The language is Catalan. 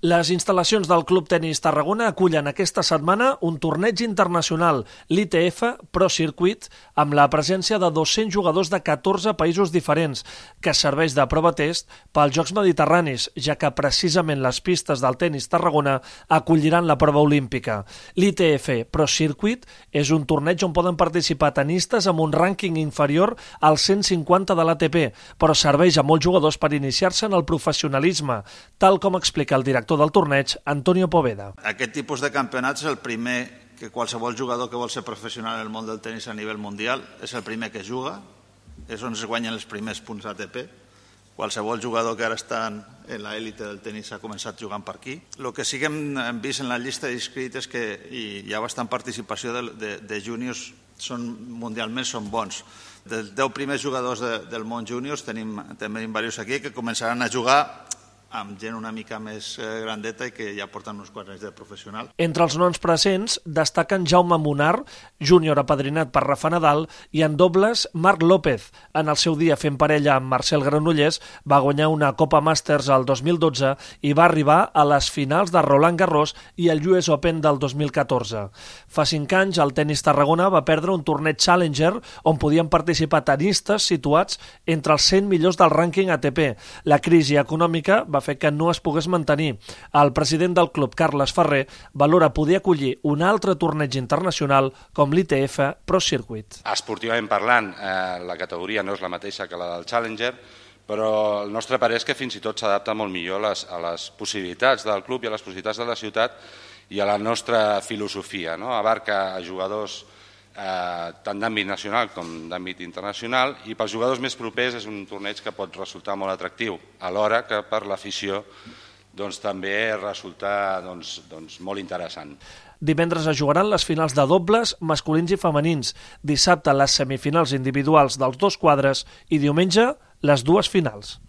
Les instal·lacions del Club Tenis Tarragona acullen aquesta setmana un torneig internacional, l'ITF Pro Circuit, amb la presència de 200 jugadors de 14 països diferents, que serveix de prova test pels Jocs Mediterranis, ja que precisament les pistes del Tenis Tarragona acolliran la prova olímpica. L'ITF Pro Circuit és un torneig on poden participar tenistes amb un rànquing inferior al 150 de l'ATP, però serveix a molts jugadors per iniciar-se en el professionalisme, tal com explica el director del torneig, Antonio Poveda. Aquest tipus de campionat és el primer que qualsevol jugador que vol ser professional en el món del tenis a nivell mundial és el primer que juga, és on es guanyen els primers punts ATP. Qualsevol jugador que ara està en l'élite del tenis ha començat jugant per aquí. El que sí que hem vist en la llista d'inscrits és que hi ha bastant participació de júniors, mundialment són bons. Dels 10 primers jugadors del món júniors tenim diversos aquí que començaran a jugar amb gent una mica més grandeta i que ja porten uns quants anys de professional. Entre els noms presents destaquen Jaume Munar, júnior apadrinat per Rafa Nadal, i en dobles Marc López. En el seu dia fent parella amb Marcel Granollers va guanyar una Copa Masters al 2012 i va arribar a les finals de Roland Garros i el US Open del 2014. Fa 5 anys el Tenis Tarragona va perdre un torneig Challenger on podien participar tenistes situats entre els 100 millors del rànquing ATP. La crisi econòmica va fer que no es pogués mantenir. El president del club, Carles Ferrer, valora poder acollir un altre torneig internacional com l'ITF Pro Circuit. Esportivament parlant, la categoria no és la mateixa que la del Challenger, però el nostre parer és que fins i tot s'adapta molt millor a les possibilitats del club i a les possibilitats de la ciutat i a la nostra filosofia, no? Abarca a jugadors tant d'àmbit nacional com d'àmbit internacional, i pels jugadors més propers és un torneig que pot resultar molt atractiu, alhora que per l'afició també resulta molt interessant. Divendres es jugaran les finals de dobles masculins i femenins, dissabte les semifinals individuals dels dos quadres i diumenge les dues finals.